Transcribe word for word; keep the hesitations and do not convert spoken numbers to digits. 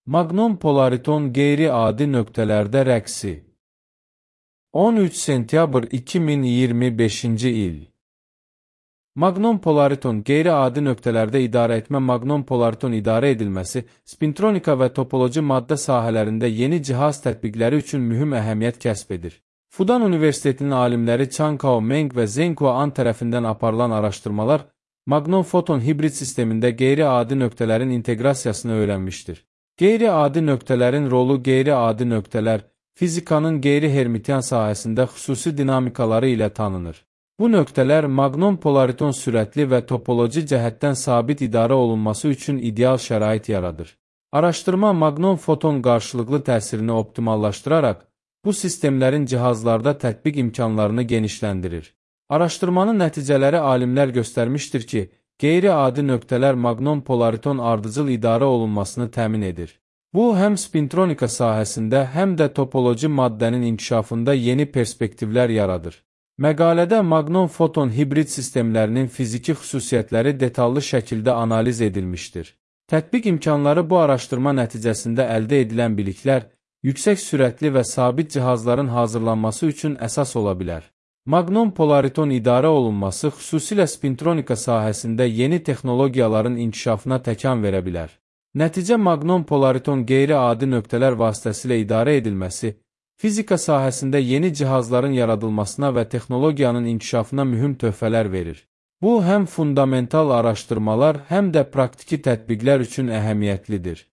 Maqnon polariton qeyri-adi nöqtələrdə rəqsi. on üç sentyabr iki min iyirmi beşinci il. Maqnon polariton qeyri-adi nöqtələrdə idarə etmə maqnon polariton idarə edilməsi, spintronika və topoloji maddə sahələrində yeni cihaz tətbiqləri üçün mühüm əhəmiyyət kəsb edir. Fudan Universitetinin alimləri Chan Kao Meng və Zeng An tərəfindən aparılan araşdırmalar, maqnon foton hibrid sistemində qeyri-adi nöqtələrin inteqrasiyasını öyrənmişdir. Qeyri-adi nöqtələrin rolu qeyri-adi nöqtələr, fizikanın qeyri-hermitian sahəsində xüsusi dinamikaları ilə tanınır. Bu nöqtələr maqnon polariton sürətli və topoloji cəhətdən sabit idarə olunması üçün ideal şərait yaradır. Araşdırma maqnon foton qarşılıqlı təsirini optimallaşdıraraq, bu sistemlərin cihazlarda tətbiq imkanlarını genişləndirir. Araşdırmanın nəticələri alimlər göstərmişdir ki, qeyri-adi nöqtələr maqnon polariton ardıcıl idarə olunmasını təmin edir. Bu, həm spintronika sahəsində, həm də topoloji maddənin inkişafında yeni perspektivlər yaradır. Məqalədə maqnon foton hibrid sistemlərinin fiziki xüsusiyyətləri detallı şəkildə analiz edilmişdir. Tətbiq imkanları bu araşdırma nəticəsində əldə edilən biliklər, yüksək sürətli və sabit cihazların hazırlanması üçün əsas ola bilər. Maqnon polariton idarə olunması xüsusilə spintronika sahəsində yeni texnologiyaların inkişafına təkan verə bilər. Nəticə maqnon polariton qeyri-adi nöqtələr vasitəsilə idarə edilməsi, fizika sahəsində yeni cihazların yaradılmasına və texnologiyanın inkişafına mühüm töhfələr verir. Bu, həm fundamental araşdırmalar, həm də praktiki tətbiqlər üçün əhəmiyyətlidir.